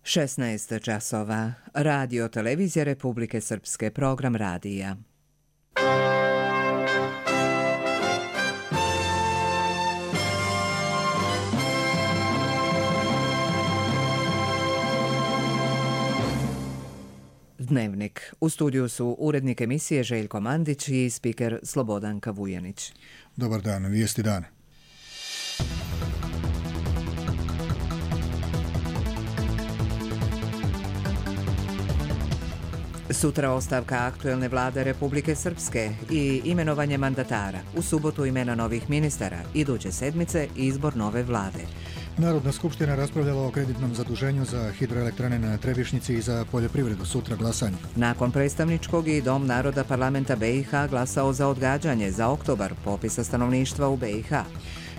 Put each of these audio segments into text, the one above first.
16 časova. Radio Televizija Republike Srpske, program radija. Dnevnik. U studiju su urednik emisije Željko Mandić i spiker Slobodanka Vujanić. Dobar dan, vijesti dana. Sutra ostavka aktuelne vlade Republike Srpske i imenovanje mandatara. U subotu imena novih ministara, iduće sedmice izbor nove vlade. Narodna skupština raspravljala o kreditnom zaduženju za hidroelektrane na Trebišnjici i za poljoprivredu. Sutra glasanje. Nakon predstavničkog i Dom naroda parlamenta BiH glasao za odgađanje za oktobar popisa stanovništva u BiH.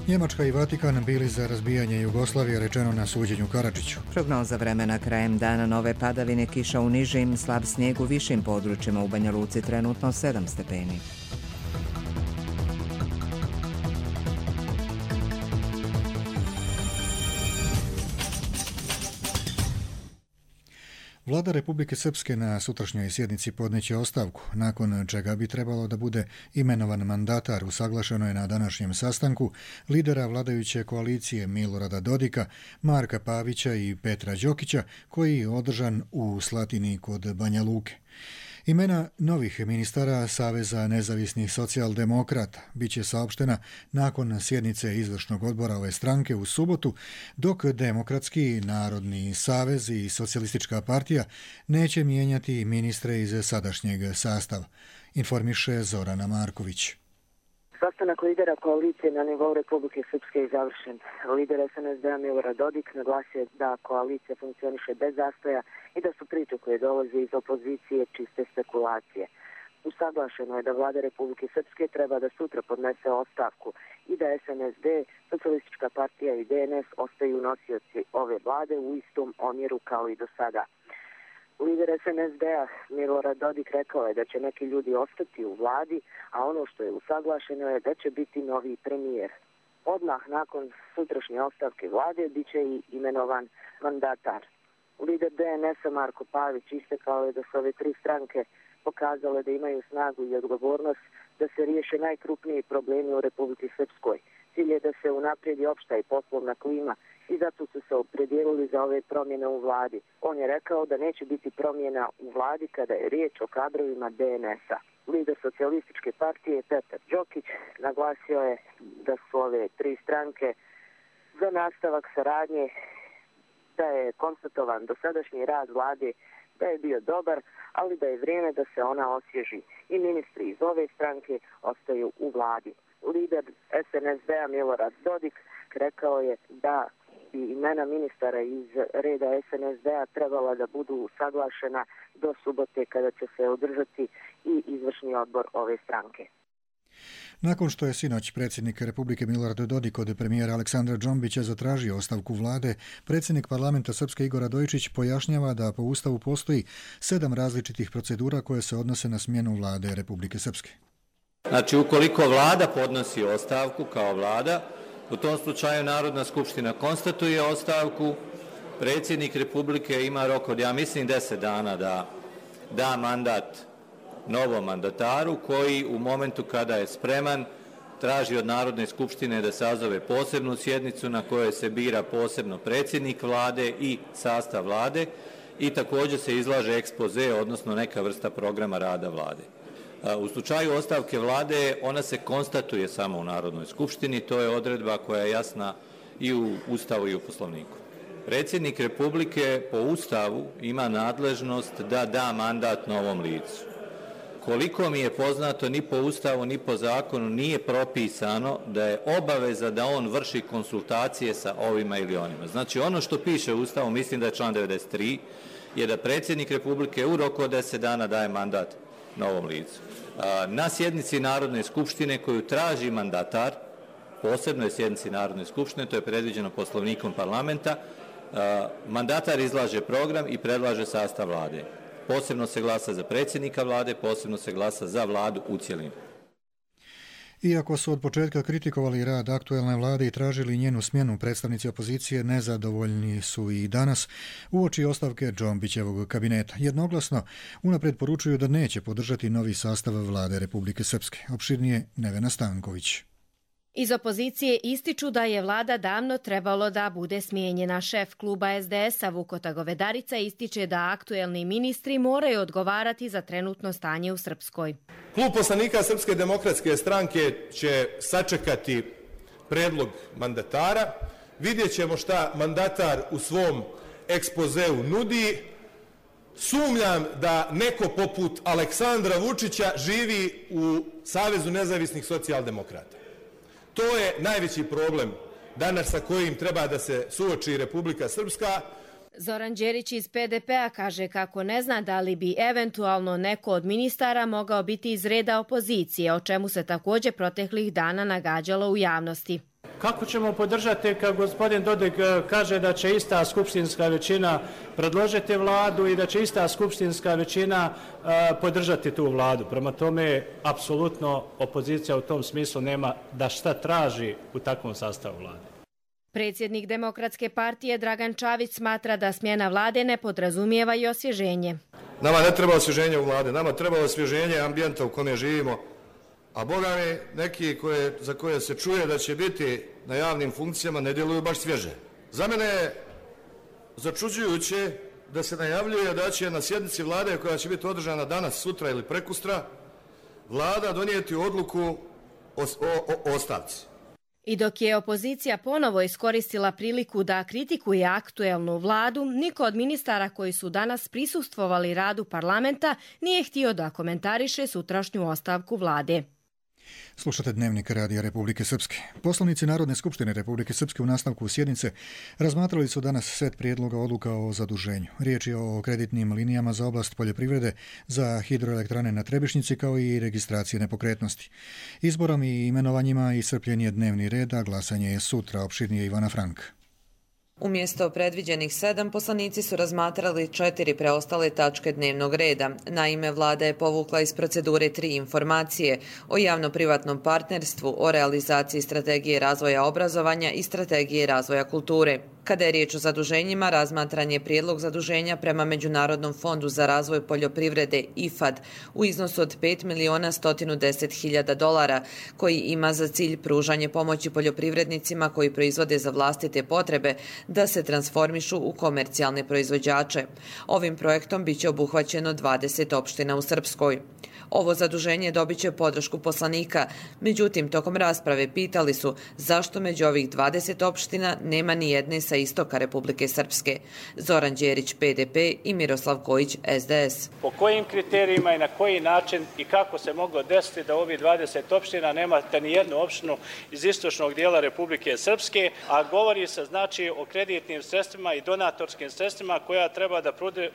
Njemačka i Vatikan bili za razbijanje Jugoslavije, rečeno na suđenju Karadžiću. Prognoza vremena: krajem dana nove padavine, kiša u nižim, slab snijeg u višim područjima, u Banja Luci trenutno 7 stepeni. Vlada Republike Srpske na sutrašnjoj sjednici podneće ostavku, nakon čega bi trebalo da bude imenovan mandatar. Usaglašeno je na današnjem sastanku lidera vladajuće koalicije Milorada Dodika, Marka Pavića i Petra Đokića, koji je održan u Slatini kod Banja Luke. Imena novih ministara Saveza nezavisnih socijaldemokrata biće saopštena nakon sjednice izvršnog odbora ove stranke u subotu, dok Demokratski narodni savez i Socijalistička partija neće mijenjati ministre iz sadašnjeg sastava, informiše Zorana Marković. Sastanak lidera koalicije na nivou Republike Srpske je završen. Lider SNSD-a Milorad Dodik naglasio da koalicija funkcioniše bez zastoja i da su priče koje dolaze iz opozicije čiste spekulacije. Usaglašeno je da vlada Republike Srpske treba da sutra podnese ostavku i da SNSD, Socijalistička partija i DNS ostaju nosioci ove vlade u istom omjeru kao i do sada. Lider SNSD-a Milorad Dodik rekao je da će neki ljudi ostati u vladi, a ono što je usaglašeno je da će biti novi premijer. Odmah nakon sutrašnje ostavke vlade bit će i imenovan mandatar. Lider DNS-a Marko Pavić istakao je da su ove tri stranke pokazale da imaju snagu i odgovornost da se riješe najkrupniji problemi u Republici Srpskoj. Cilj je da se unaprijedi opšta i poslovna klima i zato su se opredijelili za ove promjene u vladi. On je rekao da neće biti promjena u vladi kada je riječ o kadrovima DNS-a. Lider Socijalističke partije Petar Đokić naglasio je da su ove tri stranke za nastavak saradnje, da je konstatovan dosadašnji rad vlade da je bio dobar, ali da je vrijeme da se ona osvježi i ministri iz ove stranke ostaju u vladi. Lider SNSD-a Milorad Dodik rekao je da i imena ministara iz reda SNSD-a trebala da budu usaglašena do subote kada će se održati i izvršni odbor ove stranke. Nakon što je sinoć predsjednik Republike Milorad Dodik od premijera Aleksandra Džombića zatražio ostavku vlade, predsjednik parlamenta Srpske Igor Radojičić pojašnjava da po Ustavu postoji 7 različitih procedura koje se odnose na smjenu vlade Republike Srpske. Znači, ukoliko vlada podnosi ostavku kao vlada, u tom slučaju Narodna skupština konstatuje ostavku, predsjednik Republike ima rok od, ja mislim, 10 dana da da mandat novom mandataru koji u momentu kada je spreman traži od Narodne skupštine da sazove posebnu sjednicu na kojoj se bira posebno predsjednik vlade i sastav vlade i također se izlaže ekspoze, odnosno neka vrsta programa rada vlade. U slučaju ostavke vlade ona se konstatuje samo u Narodnoj skupštini, to je odredba koja je jasna i u Ustavu i u Poslovniku. Predsjednik Republike po Ustavu ima nadležnost da da mandat novom licu. Koliko mi je poznato, ni po Ustavu, ni po zakonu nije propisano da je obaveza da on vrši konsultacije sa ovima ili onima. Znači, ono što piše u Ustavu, mislim da je član 93, je da predsjednik Republike u roku od 10 dana daje mandat novom licu. Na sjednici Narodne skupštine koju traži mandatar, posebnoj sjednici Narodne skupštine, to je predviđeno Poslovnikom parlamenta, mandatar izlaže program i predlaže sastav vlade. Posebno se glasa za predsjednika vlade, posebno se glasa za vladu u cjelini. Iako su od početka kritikovali rad aktuelne vlade i tražili njenu smjenu, predstavnici opozicije nezadovoljni su i danas uoči ostavke Džombićevog kabineta. Jednoglasno unaprijed poručuju da neće podržati novi sastav vlade Republike Srpske. Opširnije Nevena Stanković. Iz opozicije ističu da je vlada davno trebalo da bude smijenjena. Šef kluba SDS-a Vukota Govedarica ističe da aktuelni ministri moraju odgovarati za trenutno stanje u Srpskoj. Klub poslanika Srpske demokratske stranke će sačekati predlog mandatara. Vidjet ćemo šta mandatar u svom ekspozeu nudi. Sumnjam da neko poput Aleksandra Vučića živi u Savezu nezavisnih socijaldemokrata. To je najveći problem danas sa kojim treba da se suoči Republika Srpska. Zoran Đerić iz PDP-a kaže kako ne zna da li bi eventualno neko od ministara mogao biti iz reda opozicije, o čemu se također proteklih dana nagađalo u javnosti. Kako ćemo podržati kad gospodin Dodik kaže da će ista skupštinska većina predložiti vladu i da će ista skupštinska većina podržati tu vladu? Prema tome, apsolutno opozicija u tom smislu nema da šta traži u takvom sastavu vlade. Predsjednik Demokratske partije Dragan Čavić smatra da smjena vlade ne podrazumijeva i osvježenje. Nama ne treba osvježenje u vlade, nama treba osvježenje ambijenta u kome živimo. A boga mi, neki za koje se čuje da će biti na javnim funkcijama ne djeluju baš svježe. Za mene je začuđujuće da se najavljuje da će na sjednici vlade koja će biti održana danas, sutra ili prekustra, vlada donijeti odluku o ostavci. I dok je opozicija ponovo iskoristila priliku da kritikuje aktuelnu vladu, niko od ministara koji su danas prisustvovali radu parlamenta nije htio da komentariše sutrašnju ostavku vlade. Slušate Dnevnik Radija Republike Srpske. Poslanici Narodne skupštine Republike Srpske u nastavku sjednice razmatrali su danas set prijedloga odluka o zaduženju. Riječ je o kreditnim linijama za oblast poljoprivrede, za hidroelektrane na Trebišnjici kao i registracije nepokretnosti. Izborom i imenovanjima iscrpljen je dnevni red, a glasanje je sutra. Opširnije Ivana Frank. Umjesto predviđenih 7, poslanici su razmatrali 4 preostale tačke dnevnog reda. Naime, vlada je povukla iz procedure 3 informacije o javno-privatnom partnerstvu, o realizaciji strategije razvoja obrazovanja i strategije razvoja kulture. Kada je riječ o zaduženjima, razmatran je prijedlog zaduženja prema Međunarodnom fondu za razvoj poljoprivrede IFAD u iznosu od $5.110.000, koji ima za cilj pružanje pomoći poljoprivrednicima koji proizvode za vlastite potrebe da se transformišu u komercijalne proizvođače. Ovim projektom biće obuhvaćeno 20 opština u Srpskoj. Ovo zaduženje dobit će podršku poslanika, međutim, tokom rasprave pitali su zašto među ovih 20 opština nema ni jedne sa istoka Republike Srpske. Zoran Đerić, PDP, i Miroslav Kojić, SDS. Po kojim kriterijima i na koji način i kako se moglo desiti da ovih 20 opština nemate ni jednu opštinu iz istočnog dijela Republike Srpske, a govori se znači o kreditnim sredstvima i donatorskim sredstvima koja treba da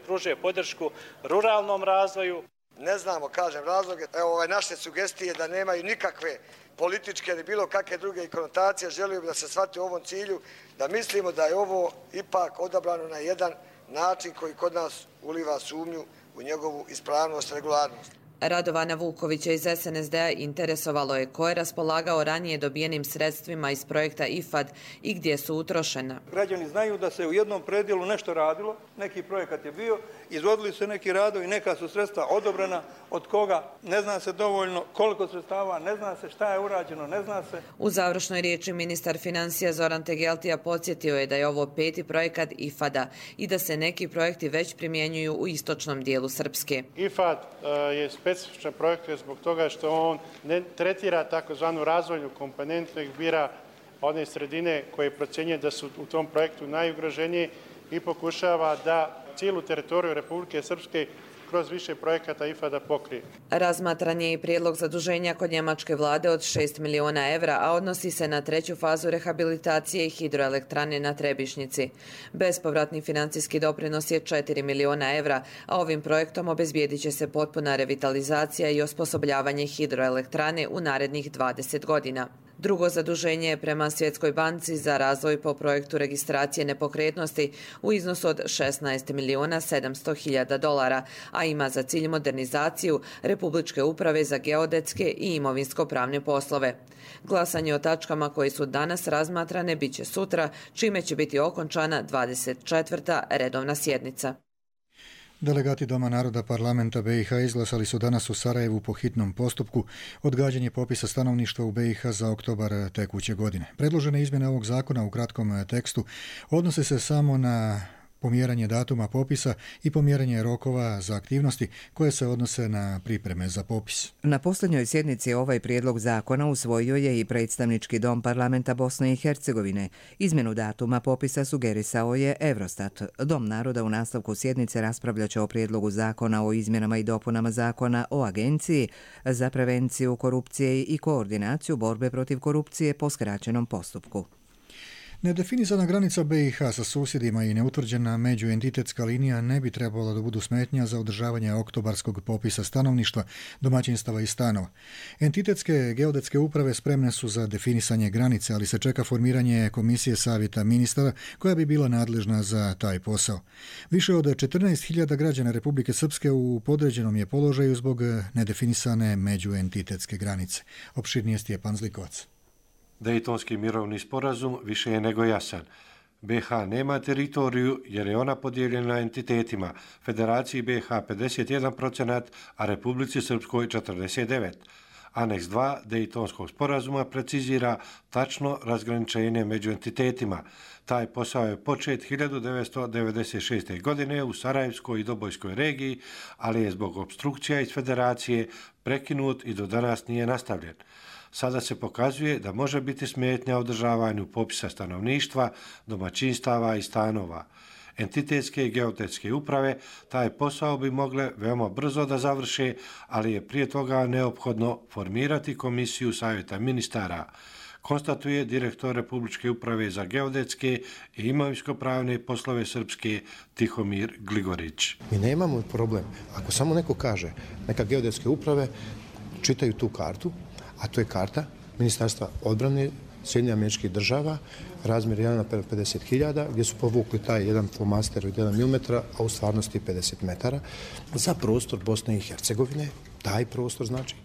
pruže podršku ruralnom razvoju. Ne znamo, kažem, razloge. Evo, naše sugestije da nemaju nikakve političke ili bilo kakve druge konotacije. Želio bih da se shvati u ovom cilju, da mislimo da je ovo ipak odabrano na jedan način koji kod nas uliva sumnju u njegovu ispravnost, regularnost. Radovana Vukovića iz SNSD-a interesovalo je ko je raspolagao ranije dobijenim sredstvima iz projekta IFAD i gdje su utrošena. Građani znaju da se u jednom predjelu nešto radilo, neki projekat je bio, izvodili su neki radovi, neka su sredstva odobrena, od koga ne zna se dovoljno, koliko sredstava, ne zna se šta je urađeno, ne zna se. U završnoj riječi ministar financija Zoran Tegeltija podsjetio je da je ovo 5. projekat IFAD-a i da se neki projekti već primjenjuju u istočnom dijelu Srpske. IFAD je specifičan projekt zbog toga što on ne tretira takozvanu razvojnu komponentu, nego bira one sredine koje procjenjuje da su u tom projektu najugroženije i pokušava da cijelu teritoriju Republike Srpske kroz više projekata IFAD-a pokrije. Razmatran je i prijedlog zaduženja kod njemačke vlade od 6 miliona evra, a odnosi se na 3. fazu rehabilitacije hidroelektrane na Trebišnjici. Bespovratni financijski doprinos je 4 miliona evra, a ovim projektom obezbijedit će se potpuna revitalizacija i osposobljavanje hidroelektrane u narednih 20 godina. Drugo zaduženje je prema Svjetskoj banci za razvoj po projektu registracije nepokretnosti u iznosu od $16.700.000, a ima za cilj modernizaciju Republičke uprave za geodetske i imovinsko-pravne poslove. Glasanje o tačkama koje su danas razmatrane biće sutra, čime će biti okončana 24. redovna sjednica. Delegati Doma naroda parlamenta BiH izglasali su danas u Sarajevu po hitnom postupku odgađanje popisa stanovništva u BiH za oktobar tekuće godine. Predložene izmjene ovog zakona u kratkom tekstu odnose se samo na pomjeranje datuma popisa i pomjeranje rokova za aktivnosti koje se odnose na pripreme za popis. Na posljednjoj sjednici ovaj prijedlog zakona usvojio je i predstavnički dom parlamenta Bosne i Hercegovine. Izmjenu datuma popisa sugerisao je Eurostat. Dom naroda u nastavku sjednice raspravljaće o prijedlogu zakona o izmjenama i dopunama zakona o agenciji za prevenciju korupcije i koordinaciju borbe protiv korupcije po skraćenom postupku. Nedefinisana granica BiH sa susjedima i neutvrđena međuentitetska linija ne bi trebala da budu smetnja za održavanje oktobarskog popisa stanovništva, domaćinstava i stanova. Entitetske geodetske uprave spremne su za definisanje granice, ali se čeka formiranje komisije savjeta ministara koja bi bila nadležna za taj posao. Više od 14.000 građana Republike Srpske u podređenom je položaju zbog nedefinisane međuentitetske granice. Opširnije Stjepan Zlikovac. Dejtonski mirovni sporazum više je nego jasan. BiH nema teritoriju jer je ona podijeljena entitetima, Federaciji BiH 51%, a Republici Srpskoj 49%. Aneks 2 Dejtonskog sporazuma precizira tačno razgraničenje među entitetima. Taj posao je počet 1996. godine u Sarajevskoj i Dobojskoj regiji, ali je zbog opstrukcija iz Federacije prekinut i do danas nije nastavljen. Sada se pokazuje da može biti smetnja održavanju popisa stanovništva, domaćinstava i stanova. Entitetske i geodetske uprave taj posao bi mogle veoma brzo da završe, ali je prije toga neophodno formirati komisiju savjeta ministara, konstatuje direktor Republičke uprave za geodetske i imovinsko-pravne poslove Srpske Tihomir Gligorić. Mi nemamo problem. Ako samo neko kaže, neka geodetske uprave čitaju tu kartu, a to je karta Ministarstva odbrane Sjedinjenih Američkih Država, razmjer 1:50.000, gdje su povukli taj jedan flomaster od 1 mm, a u stvarnosti 50 metara, za prostor Bosne i Hercegovine, taj prostor znači,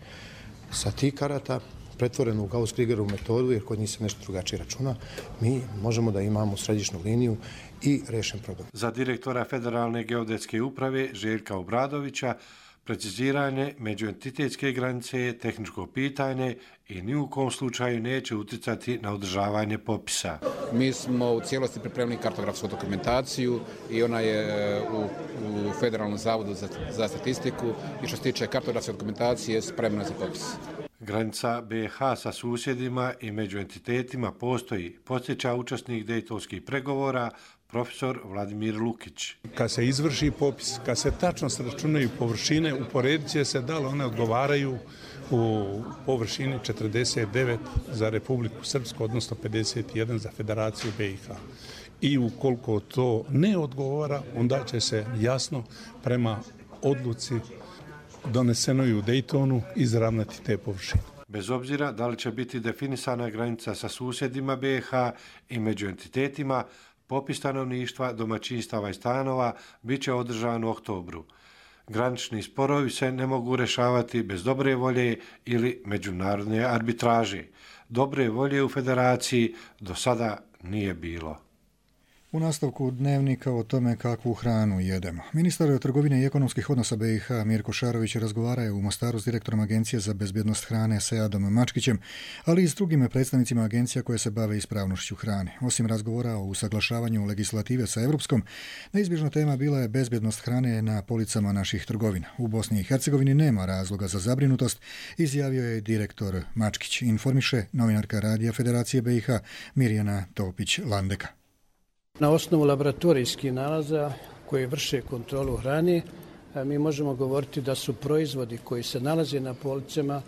sa tih karata, pretvoreno u Gauss-Kriegerovu metodu, jer kod njih se nešto drugačije računa, mi možemo da imamo središnju liniju i rešen problem. Za direktora Federalne geodetske uprave Željka Obradovića, preciziranje međuentitetske granice je tehničko pitanje i ni u kom slučaju neće uticati na održavanje popisa. Mi smo u cijelosti pripremili kartografsku dokumentaciju i ona je u Federalnom zavodu za statistiku i što se tiče kartografske dokumentacije spremna za popis. Granica BiH sa susjedima i među entitetima postoji, podsjeća učesnik dejtonskih pregovora, profesor Vladimir Lukić. Kad se izvrši popis, kad se tačno sračunaju površine, uporedit će se da li one odgovaraju u površini 49 za Republiku Srpsku, odnosno 51 za Federaciju BiH. I ukoliko to ne odgovara, onda će se jasno prema odluci donesenoj u Dejtonu izravnati te površine. Bez obzira da li će biti definisana granica sa susjedima BiH i među entitetima, popis stanovništva, domaćinstava i stanova bit će održan u oktobru. Granični sporovi se ne mogu rešavati bez dobre volje ili međunarodne arbitraže. Dobre volje u Federaciji do sada nije bilo. U nastavku dnevnika o tome kakvu hranu jedemo. Ministar trgovine i ekonomskih odnosa BiH Mirko Šarović razgovarao u Mostaru s direktorom Agencije za bezbjednost hrane Seadom Mačkićem, ali i s drugim predstavnicima agencija koje se bave ispravnošću hrane. Osim razgovora o usaglašavanju legislative sa Evropskom, neizbježna tema bila je bezbjednost hrane na policama naših trgovina. U Bosni i Hercegovini nema razloga za zabrinutost, izjavio je direktor Mačkić, informiše novinarka Radija Federacije BiH Mirjana Topić-Landeka. Na osnovu laboratorijskih nalaza koji vrše kontrolu hrane, mi možemo govoriti da su proizvodi koji se nalaze na policama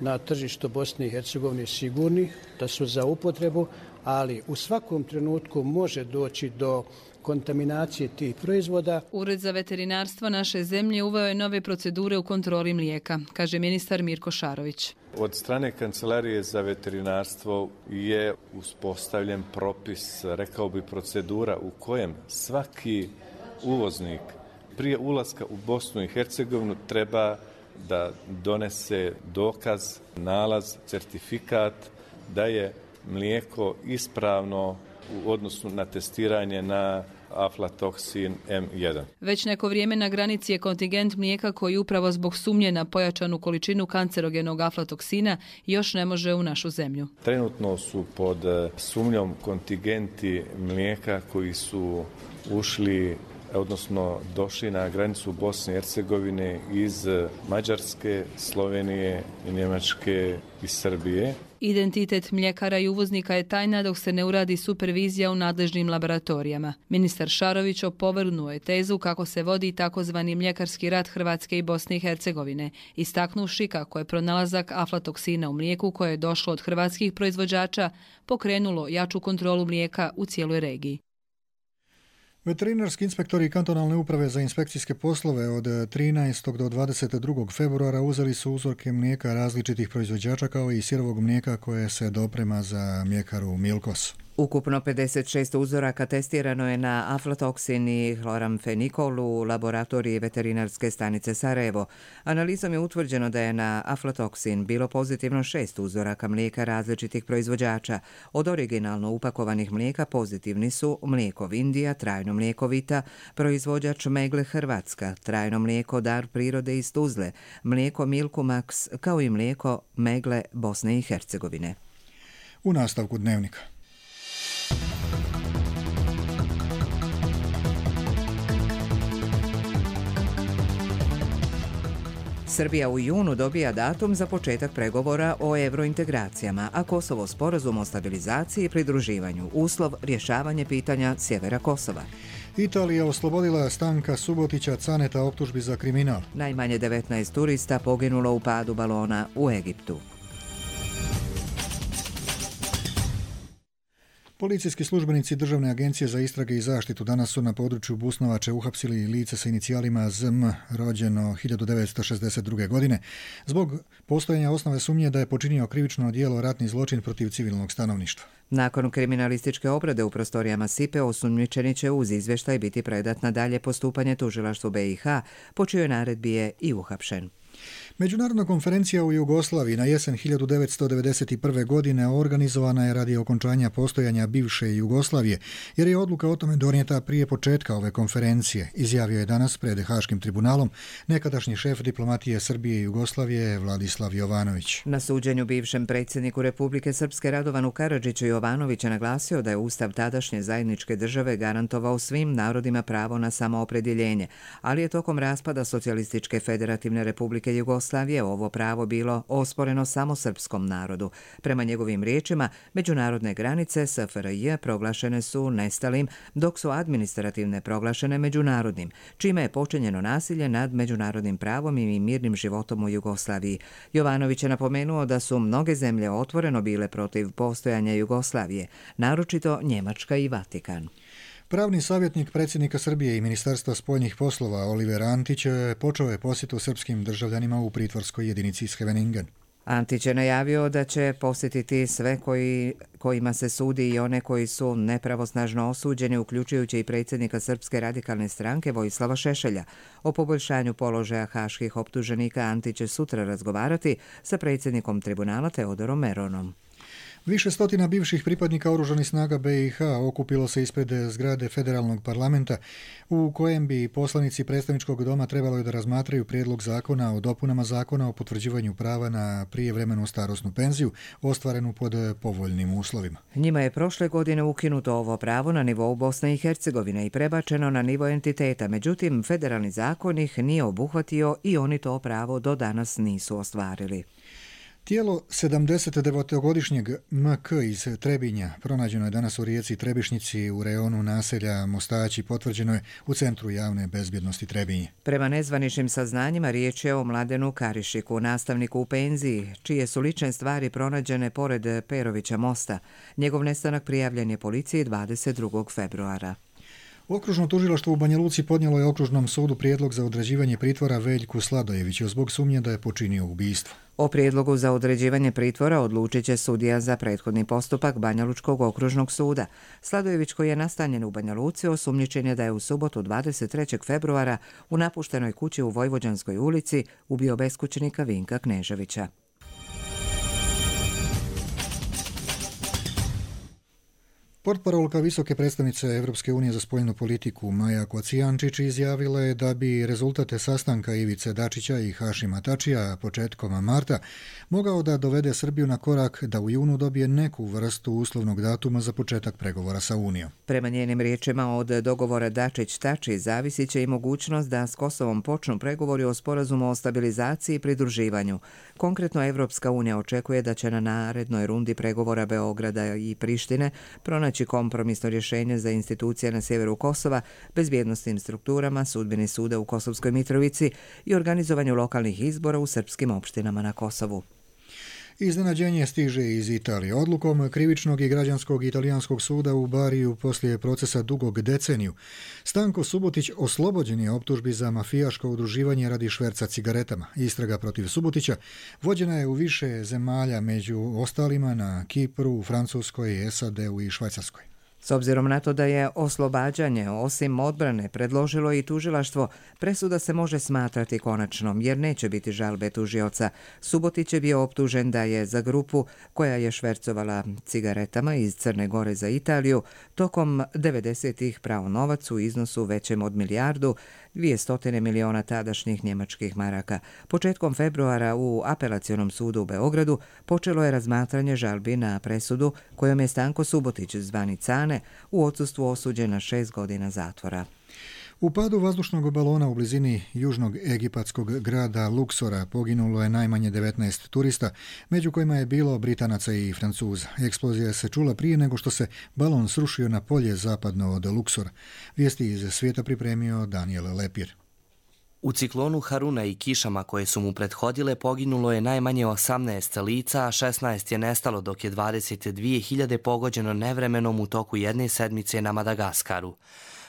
na tržištu Bosne i Hercegovine sigurni, da su za upotrebu, ali u svakom trenutku može doći do kontaminacije tih proizvoda. Ured za veterinarstvo naše zemlje uveo je nove procedure u kontroli mlijeka, kaže ministar Mirko Šarović. Od strane Kancelarije za veterinarstvo je uspostavljen propis, rekao bi procedura u kojem svaki uvoznik prije ulaska u Bosnu i Hercegovinu treba da donese dokaz, nalaz, certifikat da je mlijeko ispravno u odnosu na testiranje na aflatoksin M1. Već neko vrijeme na granici je kontingent mlijeka koji upravo zbog sumnje na pojačanu količinu kancerogenog aflatoksina još ne može u našu zemlju. Trenutno su pod sumnjom kontingenti mlijeka koji su ušli, odnosno došli na granicu Bosne i Hercegovine iz Mađarske, Slovenije, Njemačke i Srbije. Identitet mljekara i uvoznika je tajna dok se ne uradi supervizija u nadležnim laboratorijama. Ministar Šarović opovrgnuo je tezu kako se vodi takozvani mljekarski rat Hrvatske i Bosne i Hercegovine, istaknuvši kako je pronalazak aflatoksina u mlijeku koje je došlo od hrvatskih proizvođača pokrenulo jaču kontrolu mlijeka u cijeloj regiji. Veterinarski inspektori kantonalne uprave za inspekcijske poslove od 13. do 22. februara uzeli su uzorke mlijeka različitih proizvođača kao i sirovog mlijeka koje se doprema za mljekaru Milkos. Ukupno 56 uzoraka testirano je na aflatoksin i hloramfenikol u laboratoriji veterinarske stanice Sarajevo. Analizom je utvrđeno da je na aflatoksin bilo pozitivno 6 uzoraka mlijeka različitih proizvođača. Od originalno upakovanih mlijeka pozitivni su mlijeko Vindija, trajno mlijeko Vita, proizvođač Megle Hrvatska, trajno mlijeko Dar prirode iz Tuzle, mlijeko Milku Max, kao i mlijeko Megle Bosne i Hercegovine. U nastavku dnevnika. Srbija u junu dobija datum za početak pregovora o eurointegracijama, a Kosovo sporazum o stabilizaciji i pridruživanju, uslov rješavanje pitanja sjevera Kosova. Italija oslobodila Stanka Subotića Caneta optužbi za kriminal. Najmanje 19 turista poginulo u padu balona u Egiptu. Policijski službenici Državne agencije za istrage i zaštitu danas su na području Busnovače uhapsili lice sa inicijalima ZM, rođeno 1962. godine, zbog postojanja osnove sumnje da je počinio krivično djelo ratni zločin protiv civilnog stanovništva. Nakon kriminalističke obrade u prostorijama SIPE, osumnjičeni će uz izvještaj biti predat na dalje postupanje tužilaštvu BiH, po čijoj naredbi je i uhapšen. Međunarodna konferencija u Jugoslaviji na jesen 1991. godine organizovana je radi okončanja postojanja bivše Jugoslavije, jer je odluka o tome donijeta prije početka ove konferencije, izjavio je danas pred Haškim tribunalom nekadašnji šef diplomatije Srbije i Jugoslavije Vladislav Jovanović. Na suđenju bivšem predsjedniku Republike Srpske Radovanu Karadžiću Jovanović je naglasio da je Ustav tadašnje zajedničke države garantovao svim narodima pravo na samoopredjeljenje, ali je tokom raspada Socijalističke federativne Republike Jugoslavije ovo pravo bilo osporeno samo srpskom narodu. Prema njegovim riječima, međunarodne granice SFRJ proglašene su nestalim, dok su administrativne proglašene međunarodnim, čime je počinjeno nasilje nad međunarodnim pravom i mirnim životom u Jugoslaviji. Jovanović je napomenuo da su mnoge zemlje otvoreno bile protiv postojanja Jugoslavije, naročito Njemačka i Vatikan. Pravni savjetnik predsjednika Srbije i Ministarstva spoljnih poslova Oliver Antić počeo je posjetu srpskim državljanima u pritvorskoj jedinici Scheveningen. Antić je najavio da će posjetiti sve kojima se sudi i one koji su nepravosnažno osuđeni, uključujući i predsjednika Srpske radikalne stranke Vojislava Šešelja. O poboljšanju položaja haških optuženika Antić će sutra razgovarati sa predsjednikom tribunala Teodorom Meronom. Više stotina bivših pripadnika oružanih snaga BiH okupilo se ispred zgrade federalnog parlamenta u kojem bi poslanici predstavničkog doma trebalo da razmatraju prijedlog zakona o dopunama zakona o potvrđivanju prava na prijevremenu starosnu penziju ostvarenu pod povoljnim uslovima. Njima je prošle godine ukinuto ovo pravo na nivou Bosne i Hercegovine i prebačeno na nivo entiteta, međutim federalni zakon ih nije obuhvatio i oni to pravo do danas nisu ostvarili. Tijelo 79-godišnjeg MK iz Trebinja pronađeno je danas u rijeci Trebišnjici u rejonu naselja Mostaći, potvrđeno je u Centru javne bezbjednosti Trebinje. Prema nezvaničnim saznanjima riječ je o Mladenu Karišiku, nastavniku u penziji, čije su lične stvari pronađene pored Perovića mosta. Njegov nestanak prijavljen je policiji 22. februara. Okružno tužilaštvo u Banja Luci podnijelo je Okružnom sudu prijedlog za određivanje pritvora Veljku Sladojeviću zbog sumnje da je počinio ubistvo. O prijedlogu za određivanje pritvora odlučit će sudija za prethodni postupak Banjalučkog okružnog suda. Sladojević, koji je nastanjen u Banja Luci, osumnjičen je da je u subotu 23. februara u napuštenoj kući u Vojvođanskoj ulici ubio beskućnika Vinka Kneževića. Portparolka visoke predstavnice Europske unije za spoljnu politiku Maja Kocijančić izjavila je da bi rezultate sastanka Ivice Dačića i Hašima Tačija početkom marta mogao da dovede Srbiju na korak da u junu dobije neku vrstu uslovnog datuma za početak pregovora sa Unijom. Prema njenim riječima, od dogovora Dačić-Tači zavisit će i mogućnost da s Kosovom počnu pregovori o sporazumu o stabilizaciji i pridruživanju. Konkretno, Evropska unija očekuje da će na narednoj rundi pregovora Beograda i Prištine pronaći kompromisno rješenje za institucije na sjeveru Kosova, bezbjednostnim strukturama, sudbeni suda u Kosovskoj Mitrovici i organizovanju lokalnih izbora u srpskim opštinama na Kosovu. Iznenađenje stiže iz Italije. Odlukom krivičnog i građanskog italijanskog suda u Bariju poslije procesa dugog deceniju, Stanko Subotić oslobođen je optužbi za mafijaško udruživanje radi šverca cigaretama. Istraga protiv Subotića vođena je u više zemalja, među ostalima na Kipru, Francuskoj, SAD-u i Švajcarskoj. S obzirom na to da je oslobađanje osim odbrane predložilo i tužilaštvo, presuda se može smatrati konačnom jer neće biti žalbe tužioca. Subotić je bio optužen da je za grupu koja je švercovala cigaretama iz Crne Gore za Italiju tokom 90-ih prao novac u iznosu većem od 1.200 miliona tadašnjih njemačkih maraka. Početkom februara u Apelacionom sudu u Beogradu počelo je razmatranje žalbi na presudu kojom je Stanko Subotić, zvani Cane, u odsustvu osuđen na 6 godina zatvora. U padu vazdušnog balona u blizini južnog egipatskog grada Luksora poginulo je najmanje 19 turista, među kojima je bilo Britanaca i Francuza. Eksplozija se čula prije nego što se balon srušio na polje zapadno od Luksora. Vijesti iz svijeta pripremio Daniel Lepir. U ciklonu Haruna i kišama koje su mu prethodile poginulo je najmanje 18 lica, a 16 je nestalo, dok je 22.000 pogođeno nevremenom u toku jedne sedmice na Madagaskaru.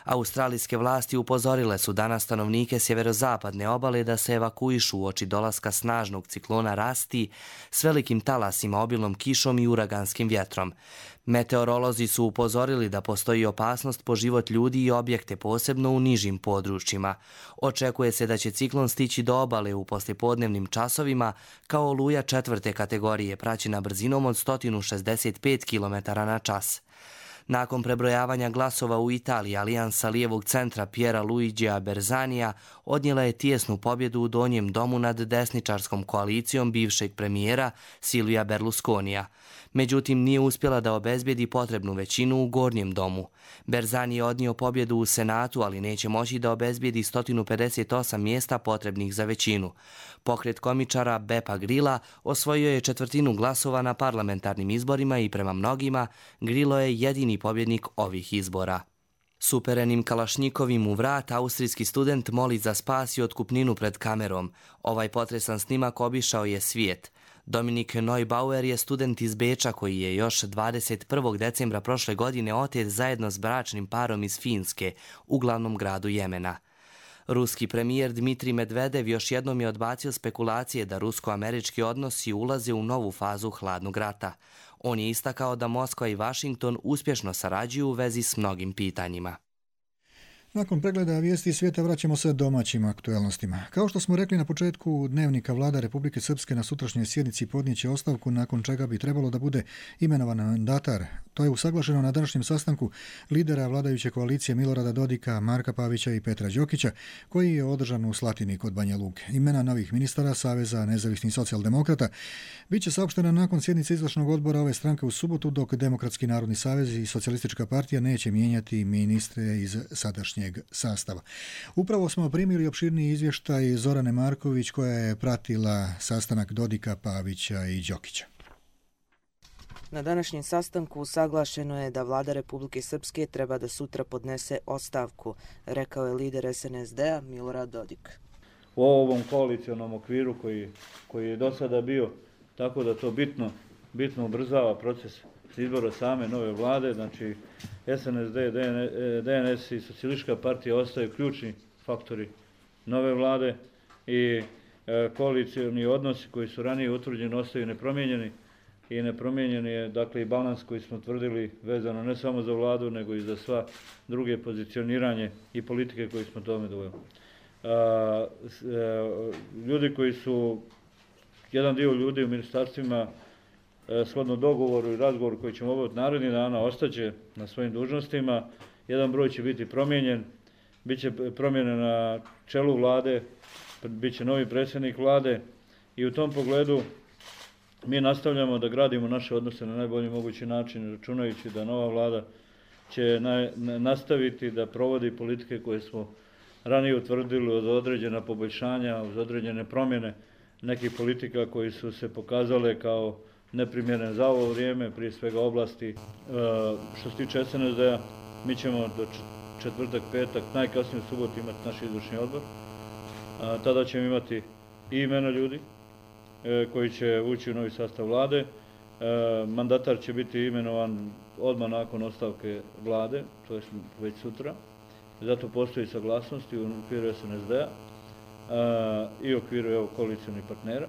Australijske vlasti upozorile su danas stanovnike sjeverozapadne obale da se evakuišu uoči dolaska snažnog ciklona Rasti s velikim talasima, obilnom kišom i uraganskim vjetrom. Meteorolozi su upozorili da postoji opasnost po život ljudi i objekte, posebno u nižim područjima. Očekuje se da će ciklon stići do obale u poslijepodnevnim časovima kao oluja 4. kategorije, praćena brzinom od 165 km/h. Nakon prebrojavanja glasova u Italiji, Alijansa lijevog centra Piera Luigija Berzanija odnijela je tijesnu pobjedu u donjem domu nad desničarskom koalicijom bivšeg premijera Silvija Berlusconija. Međutim, nije uspjela da obezbijedi potrebnu većinu u gornjem domu. Berzani je odnio pobjedu u Senatu, ali neće moći da obezbijedi 158 mjesta potrebnih za većinu. Pokret komičara Bepa Grilla osvojio je 1/4 glasova na parlamentarnim izborima i prema mnogima Grillo je jedini pobjednik ovih izbora. S uperenim kalašnjikovim u vrat, austrijski student moli za spas i otkupninu pred kamerom. Ovaj potresan snimak obišao je svijet. Dominik Neubauer je student iz Beča koji je još 21. decembra prošle godine otet zajedno s bračnim parom iz Finske u glavnom gradu Jemena. Ruski premijer Dmitrij Medvedev još jednom je odbacio spekulacije da rusko-američki odnosi ulaze u novu fazu hladnog rata. On je istakao da Moskva i Vašington uspješno sarađuju u vezi s mnogim pitanjima. Nakon pregleda vijesti svijeta vraćamo se domaćim aktualnostima. Kao što smo rekli na početku dnevnika, vlada Republike Srpske na sutrašnjoj sjednici podnijeće ostavku, nakon čega bi trebalo da bude imenovan mandatar. To je usaglašeno na današnjem sastanku lidera vladajuće koalicije Milorada Dodika, Marka Pavića i Petra Đokića, koji je održan u Slatini kod Banja Luke. Imena novih ministara Saveza nezavisnih socijaldemokrata biće saopštena nakon sjednice izvršnog odbora ove stranke u subotu, dok Demokratski narodni savez i Socijalistička partija neće mijenjati ministre iz sadašnjeg sastava. Upravo smo primili opširniji izvještaj Zorane Marković, koja je pratila sastanak Dodika, Pavića i Đokića. Na današnjem sastanku usaglašeno je da vlada Republike Srpske treba da sutra podnese ostavku, rekao je lider SNSD-a Milorad Dodik. U ovom koalicionom okviru koji je do sada bio, tako da to bitno ubrzava proces izbora same nove vlade, znači SNSD, DNS i Socijalistička partija ostaju ključni faktori nove vlade i koalicioni odnosi koji su ranije utvrđeni ostaju nepromijenjeni i nepromijenjen je dakle i balans koji smo tvrdili vezano ne samo za vladu nego i za sva druge pozicioniranje i politike koje smo tome doveli. Ljudi koji su, jedan dio ljudi u ministarstvima shodno dogovoru i razgovoru koji ćemo obaviti narednih dana ostaće na svojim dužnostima, jedan broj će biti promijenjen, bit će promjene na čelu vlade, bit će novi predsjednik vlade i u tom pogledu mi nastavljamo da gradimo naše odnose na najbolji mogući način, računajući da nova vlada će nastaviti da provodi politike koje smo ranije utvrdili od određena poboljšanja, uz određene promjene nekih politika koji su se pokazale kao neprimjerene za ovo vrijeme, prije svega oblasti. Što se tiče SNSD-a, mi ćemo do četvrtak, petak, najkasnije u subotu imati naš izvršni odbor. Tada ćemo imati i imena ljudi koji će ući u novi sastav vlade. Mandatar će biti imenovan odmah nakon ostavke vlade, to je već sutra. Zato postoji saglasnost i u okviru SNSD-a i u okviru koalicionih partnera.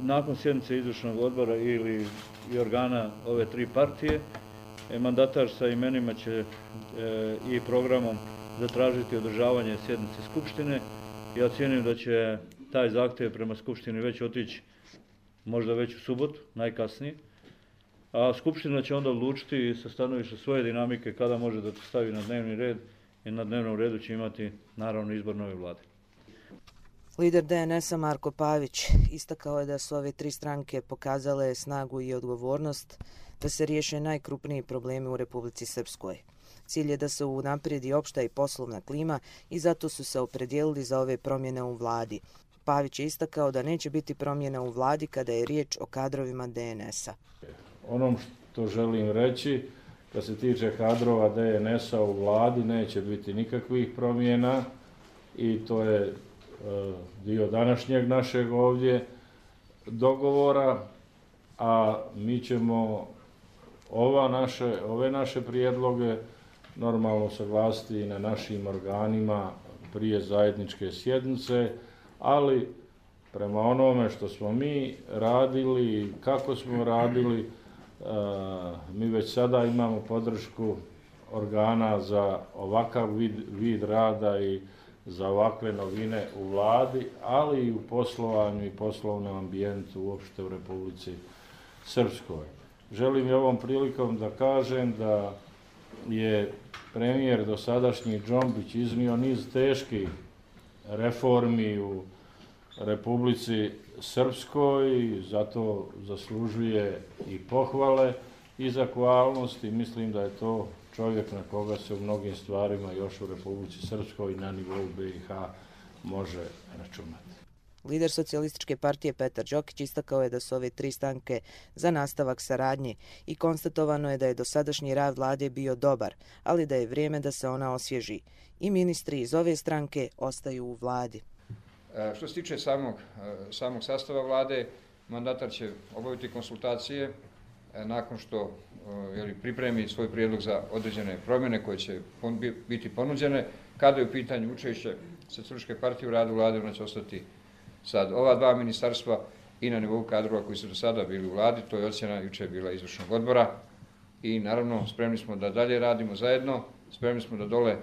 Nakon sjednice izvršnog odbora ili i organa ove tri partije, mandatar sa imenima će i programom zatražiti održavanje sjednice Skupštine. Ja cijenim da će taj zahtjev prema Skupštini već otići možda već u subotu, najkasnije. A Skupština će onda odlučiti sa stanovišta svoje dinamike kada može da to stavi na dnevni red i na dnevnom redu će imati naravno izbor nove vlade. Lider DNS-a Marko Pavić istakao je da su ove tri stranke pokazale snagu i odgovornost da se riješe najkrupniji problemi u Republici Srpskoj. Cilj je da se unaprijedi opšta i poslovna klima i zato su se opredijelili za ove promjene u vladi. Pavić je istakao da neće biti promjena u vladi kada je riječ o kadrovima DNS-a. Ono što želim reći, kad se tiče kadrova DNS-a u vladi, neće biti nikakvih promjena i to je dio današnjeg našeg ovdje dogovora, a mi ćemo ove naše prijedloge normalno saglasiti i na našim organima prije zajedničke sjednice, ali prema onome što smo mi radili i kako smo radili, mi već sada imamo podršku organa za ovakav vid rada i za ovakve novine u vladi, ali i u poslovanju i poslovnom ambijentu uopšte u Republici Srpskoj. Želim i ovom prilikom da kažem da je premijer dosadašnji Džombić iznio niz teških reformi u Republici Srpskoj, zato zaslužuje i pohvale i zahvalnost i mislim da je to čovjek na koga se u mnogim stvarima još u Republici Srpskoj i na nivou BiH može računati. Lider Socijalističke partije Petar Đokić istakao je da su ove tri stranke za nastavak saradnje i konstatovano je da je dosadašnji rad vlade bio dobar, ali da je vrijeme da se ona osvježi. I ministri iz ove stranke ostaju u vladi. Što se tiče samog sastava vlade, mandatar će obaviti konsultacije nakon što pripremi svoj prijedlog za određene promjene koje će biti ponuđene. Kada je u pitanju učešće Socijalističke partije u radu vlade, ona će ostati sad ova dva ministarstva i na nivou kadrova koji su do sada bili u vladi, to je ocjena juče bila izvršnog odbora i naravno spremni smo da dalje radimo zajedno, spremni smo da dole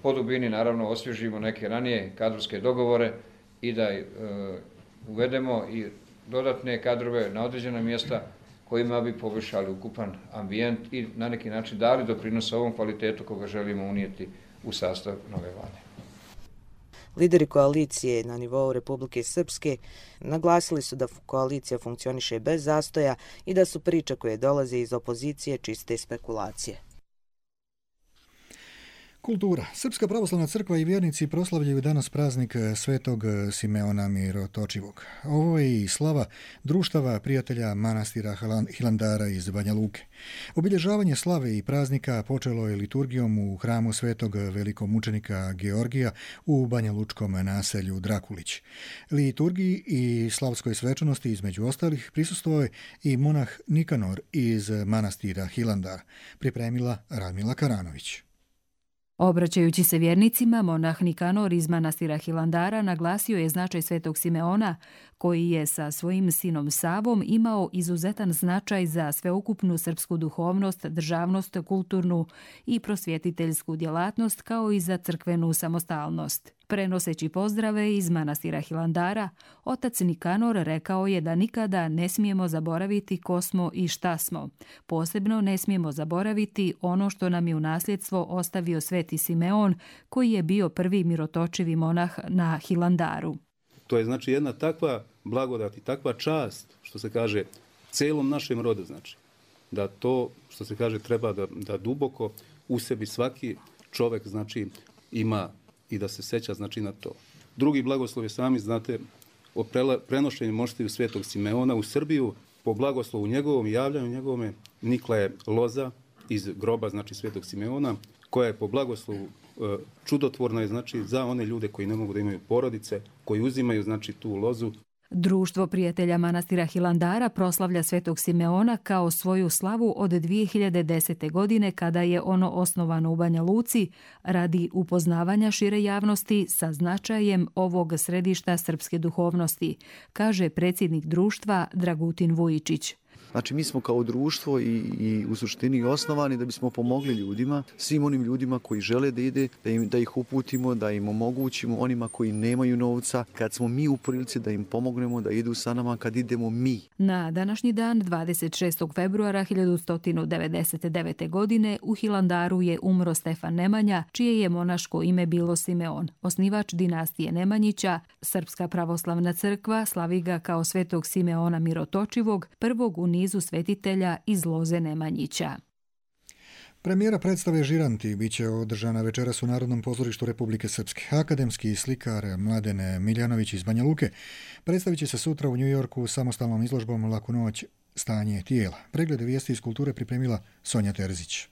po dubini naravno osvježimo neke ranije kadrovske dogovore i da uvedemo i dodatne kadrove na određena mjesta kojima bi poboljšali ukupan ambijent i na neki način dali doprinos ovom kvalitetu koga želimo unijeti u sastav nove vlade. Lideri koalicije na nivou Republike Srpske naglasili su da koalicija funkcioniše bez zastoja i da su priče koje dolaze iz opozicije čiste spekulacije. Kultura. Srpska pravoslavna crkva i vjernici proslavljaju danas praznik Svetog Simeona Mirotočivog. Ovo je i slava društava prijatelja manastira Hilandara iz Banja Luke. Obilježavanje slave i praznika počelo je liturgijom u hramu Svetog velikomučenika Georgija u Banja Lučkom naselju Drakulić. Liturgiji i slavskoj svečanosti između ostalih prisustvovao je i monah Nikanor iz manastira Hilandar, pripremila Radmila Karanović. Obraćajući se vjernicima, monah Nikanor iz manastira Hilandara naglasio je značaj Svetog Simeona, koji je sa svojim sinom Savom imao izuzetan značaj za sveukupnu srpsku duhovnost, državnost, kulturnu i prosvjetiteljsku djelatnost, kao i za crkvenu samostalnost. Prenoseći pozdrave iz manastira Hilandara, otac Nikanor rekao je da nikada ne smijemo zaboraviti ko smo i šta smo. Posebno ne smijemo zaboraviti ono što nam je u nasljedstvo ostavio Sveti Simeon, koji je bio prvi mirotočivi monah na Hilandaru. To je znači jedna takva blagodat i takva čast, što se kaže, celom našem rodu, znači, da to, što se kaže, treba da duboko u sebi svaki čovjek, znači, ima i da se seća, znači, na to. Drugi blagoslov je, sami znate, o prenošenju moštiju Svetog Simeona u Srbiju, po blagoslovu njegovom i javljanju njegovome, nikla je loza iz groba, znači, Svetog Simeona, koja je po blagoslovu čudotvorna je, znači, za one ljude koji ne mogu da imaju porodice, koji uzimaju, znači, tu lozu. Društvo prijatelja manastira Hilandara proslavlja Svetog Simeona kao svoju slavu od 2010. godine, kada je ono osnovano u Banja Luci, radi upoznavanja šire javnosti sa značajem ovog središta srpske duhovnosti, kaže predsjednik društva Dragutin Vujičić. Znači, mi smo kao društvo i u suštini osnovani da bismo pomogli ljudima, svim onim ljudima koji žele da ide, da ih uputimo, da im omogućimo, onima koji nemaju novca, kad smo mi u prilici da im pomognemo da idu sa nama kad idemo mi. Na današnji dan, 26. februara 1199. godine, u Hilandaru je umro Stefan Nemanja, čije je monaško ime bilo Simeon. Osnivač dinastije Nemanjića, Srpska pravoslavna crkva slavi ga kao Svetog Simeona Mirotočivog, prvog u nizu svetitelja iz loze Nemanjića. Premijera predstave Žiranti biće održana večeras u Narodnom pozorištu Republike Srpske. Akademski slikar Mladen Miljanović iz Banja Luke predstavit će se sutra u New Yorku samostalnom izložbom Laku noć, stanje tijela. Preglede vijesti iz kulture pripremila Sonja Terzić.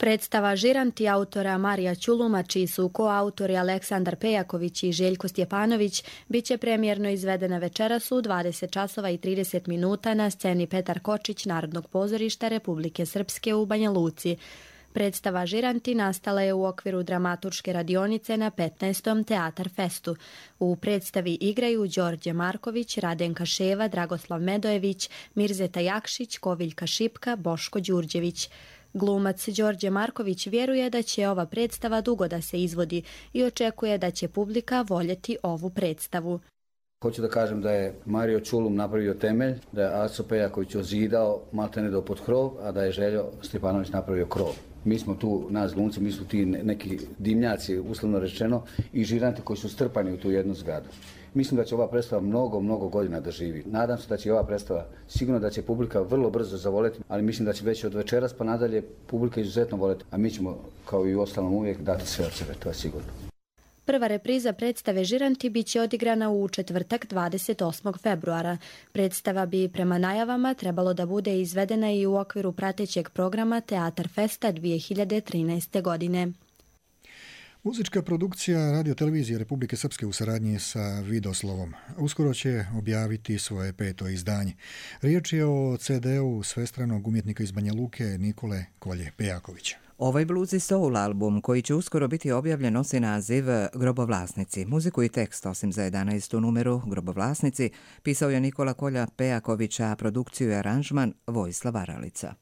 Predstava Žiranti autora Marija Ćuluma, čiji su koautori Aleksandar Pejaković i Željko Stjepanović, bit će premijerno izvedena večeras u 20 časova i 30 minuta na sceni Petar Kočić Narodnog pozorišta Republike Srpske u Banja Luci. Predstava Žiranti nastala je u okviru dramaturške radionice na 15. Teatar Festu. U predstavi igraju Đorđe Marković, Radenka Ševa, Dragoslav Medojević, Mirzeta Jakšić, Koviljka Šipka, Boško Đurđević. Glumac Đorđe Marković vjeruje da će ova predstava dugo da se izvodi i očekuje da će publika voljeti ovu predstavu. Hoću da kažem da je Mario Ćulum napravio temelj, da je Aco Pejaković ozidao maltene do pod krov, a da je Željo Stjepanović napravio krov. Mi smo tu, nas glumci, mi smo ti neki dimnjaci, uslovno rečeno, i žiranti koji su strpani u tu jednu zgradu. Mislim da će ova predstava mnogo godina da živi. Nadam se da će ova predstava, sigurno da će publika vrlo brzo zavoleti, ali mislim da će već od večeras pa nadalje publika izuzetno voleti, a mi ćemo, kao i u ostalom, uvijek dati sve od sebe, to je sigurno. Prva repriza predstave Žiranti bit će odigrana u četvrtak 28. februara. Predstava bi prema najavama trebalo da bude izvedena i u okviru pratećeg programa Teatar Festa 2013. godine. Muzička produkcija Radio-televizije Republike Srpske u saradnji sa Vidoslovom uskoro će objaviti svoje 5. izdanje. Riječ je o CD-u svestranog umjetnika iz Banja Luke Nikole Kolje Pejakovića. Ovaj blues i soul album, koji će uskoro biti objavljen, nosi naziv Grobovlasnici. Muziku i tekst, osim za 11. numeru Grobovlasnici, pisao je Nikola Kolja Pejaković, a produkciju i aranžman Vojislav Aralica.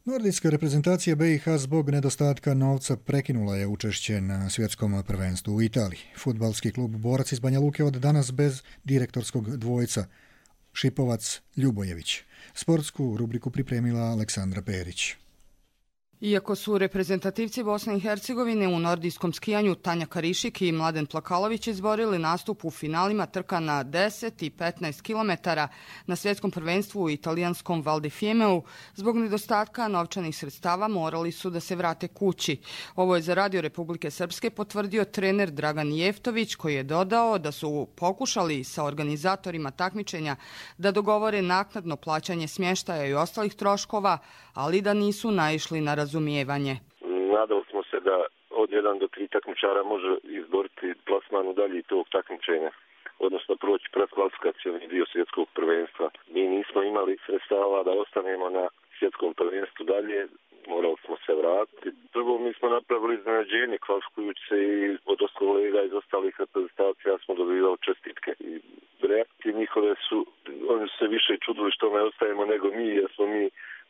Nordijska reprezentacija BiH zbog nedostatka novca prekinula je učešće na svjetskom prvenstvu u Italiji. Fudbalski klub Borac iz Banja Luke od danas bez direktorskog dvojca Šipovac Ljubojević. Sportsku rubriku pripremila Aleksandra Perić. Iako su reprezentativci Bosne i Hercegovine u nordijskom skijanju Tanja Karišik i Mladen Plakalović izborili nastup u finalima trka na 10 i 15 km na svjetskom prvenstvu u italijanskom Val di Fiemeu, zbog nedostatka novčanih sredstava morali su da se vrate kući. Ovo je za Radio Republike Srpske potvrdio trener Dragan Jeftović, koji je dodao da su pokušali sa organizatorima takmičenja da dogovore naknadno plaćanje smještaja i ostalih troškova, ali da nisu naišli na razumijevanje. Nadali smo se da od 1 do 3 takmičara može izboriti plasman u dalji tog takmičenja, odnosno proći predkvalifikacioni dio svjetskog prvenstva. Mi nismo imali sredstava da ostanemo na svjetskom prvenstvu dalje, morali smo se vratiti. Prvo, mi smo napravili iznenađenje kvalifikujući se i od kolega iz ostalih reprezentacija smo dobivali čestitke. I reakcije njihove su, oni su se više čudili što ne ostajemo nego mi, jer smo mi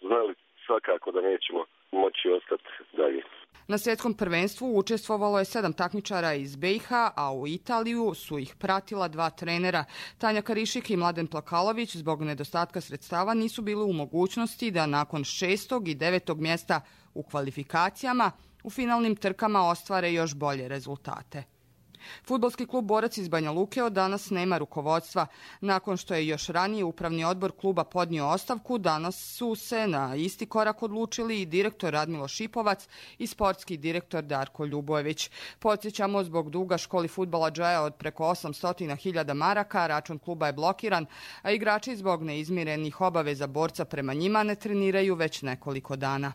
znali svakako da nećemo moći ostati dalje. Na svjetskom prvenstvu učestvovalo je 7 takmičara iz BiH, a u Italiju su ih pratila 2 trenera. Tanja Karišik i Mladen Plakalović zbog nedostatka sredstava nisu bili u mogućnosti da nakon 6. i 9. mjesta u kvalifikacijama u finalnim trkama ostvare još bolje rezultate. Fudbalski klub Borac iz Banja Luke od danas nema rukovodstva. Nakon što je još ranije upravni odbor kluba podnio ostavku, danas su se na isti korak odlučili i direktor Radmilo Šipovac i sportski direktor Darko Ljubojević. Podsjećamo, zbog duga školi fudbala Džaja od preko 800.000 maraka, račun kluba je blokiran, a igrači zbog neizmirenih obaveza Borca prema njima ne treniraju već nekoliko dana.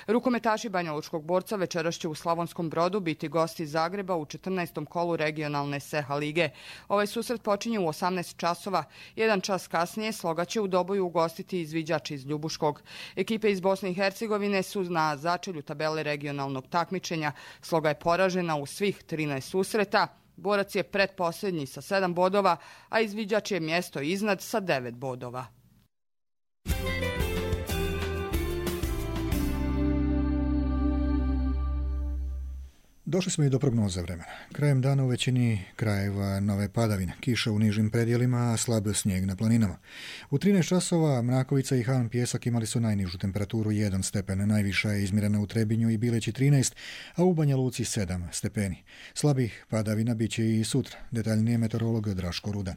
Rukometaši banjalučkog Borca večeras će u Slavonskom Brodu biti gosti Zagreba u 14. kolu regionalne SEHA lige. Ovaj susret počinje u 18 časova. 1 čas kasnije Sloga će u Doboju ugostiti izviđač iz Ljubuškog. Ekipe iz Bosne i Hercegovine su na začelju tabele regionalnog takmičenja. Sloga je poražena u svih 13 susreta. Borac je pretposljednji sa 7 bodova, a izviđač je mjesto iznad sa 9 bodova. Došli smo i do prognoze vremena. Krajem dana u većini krajeva nove padavine, kiša u nižim predjelima, a slab snijeg na planinama. U 13 časova Mrakovica i Han Pjesak imali su najnižu temperaturu 1 stepen, najviša je izmjerena u Trebinju i Bileći 13, a u Banja Luci 7 stepeni. Slabih padavina bit će i sutra, detaljnije meteorolog Draško Rudan.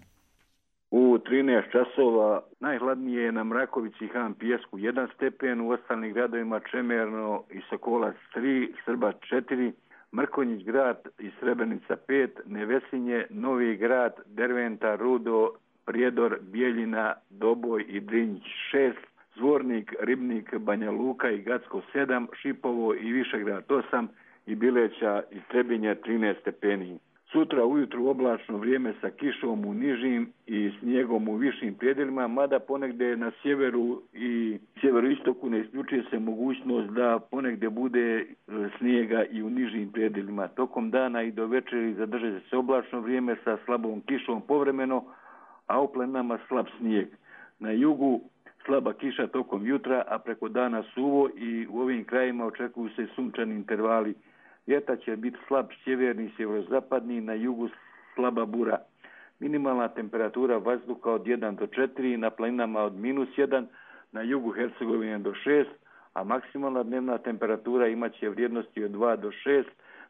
U 13 časova najhladnije je na Mrakovici i Han Pjesku 1 stepen, u ostalim gradovima Čemerno i Sokolac 3, Srba 4, Mrkonjić grad i Srebrenica 5, Nevesinje, Novi grad, Derventa, Rudo, Prijedor, Bijeljina, Doboj i Drinjić 6, Zvornik, Ribnik, Banja Luka i Gacko 7, Šipovo i Višegrad 8 i Bileća i Trebinje 13 stepeni. Sutra ujutru oblačno vrijeme sa kišom u nižim i snijegom u višim predjelima, mada ponegdje na sjeveru i sjeveroistoku ne isključuje se mogućnost da ponegdje bude snijega i u nižim predjelima. Tokom dana i do večeri zadrže se oblačno vrijeme sa slabom kišom povremeno, a u planinama slab snijeg. Na jugu slaba kiša tokom jutra, a preko dana suvo i u ovim krajima očekuju se sunčani intervali. Vjetar će biti slab sjeverni i sjeverozapadni, na jugu slaba bura. Minimalna temperatura vazduha od 1 do 4, na planinama od -1, na jugu Hercegovine do 6, a maksimalna dnevna temperatura imaće vrijednosti od 2 do 6,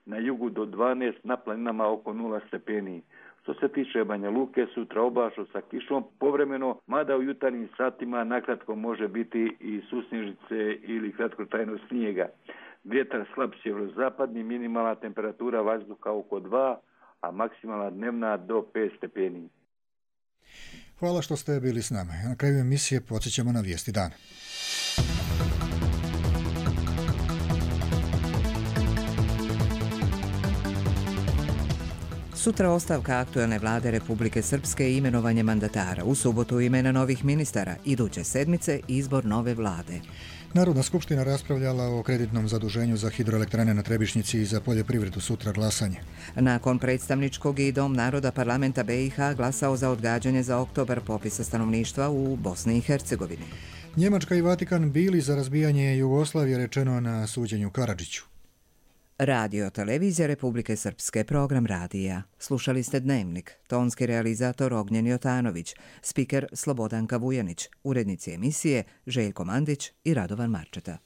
na jugu do 12, na planinama oko 0 stepeni. Što se tiče Banja Luke, sutra oblačno sa kišom povremeno, mada u jutarnjim satima nakratko može biti i susnježice ili kratkotrajno snijega. Vjetar slab sjeverozapadni, minimalna temperatura vazduha oko 2, a maksimalna dnevna do 5 stepeni. Hvala što ste bili s nama. Na kraju emisije podsjećamo na vijesti dana. Sutra ostavka aktuelne vlade Republike Srpske i imenovanje mandatara. U subotu imena novih ministara. Iduće sedmice izbor nove vlade. Narodna skupština raspravljala o kreditnom zaduženju za hidroelektrane na Trebišnjici i za poljoprivredu, sutra glasanje. Nakon predstavničkog i Dom naroda parlamenta BiH glasao za odgađanje za oktobar popisa stanovništva u Bosni i Hercegovini. Njemačka i Vatikan bili za razbijanje Jugoslavije, rečeno na suđenju Karadžiću. Radio Televizija Republike Srpske, program radija. Slušali ste Dnevnik, tonski realizator Ognjen Jotanović, spiker Slobodanka Vujanić, urednici emisije Željko Mandić i Radovan Marčeta.